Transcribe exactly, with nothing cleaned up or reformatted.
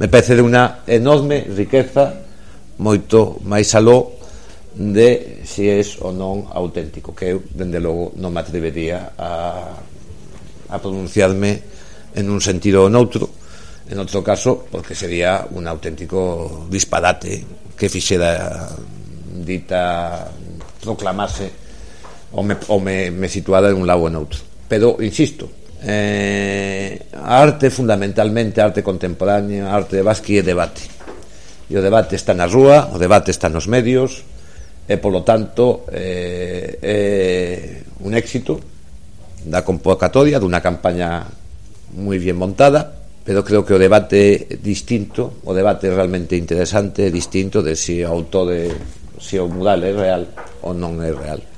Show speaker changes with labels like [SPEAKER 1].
[SPEAKER 1] me parece de unha enorme riqueza, moito máis aló de se es ou non auténtico, que eu, dende logo, non me atrevería a, a pronunciarme en un sentido ou noutro, en outro caso, porque sería un auténtico disparate que fixera dita proclamase ou me, ou me, me situara en un lado ou en outro. Pero, insisto, eh, a arte fundamentalmente, a arte contemporánea, a arte de Basqui é debate, e o debate está na rúa, o debate está nos medios, e polo tanto eh, é un éxito da convocatoria dunha campaña moi bien montada, pero creo que o debate é distinto, o debate realmente interesante é distinto de se o autor de, se o mural é real ou non é real.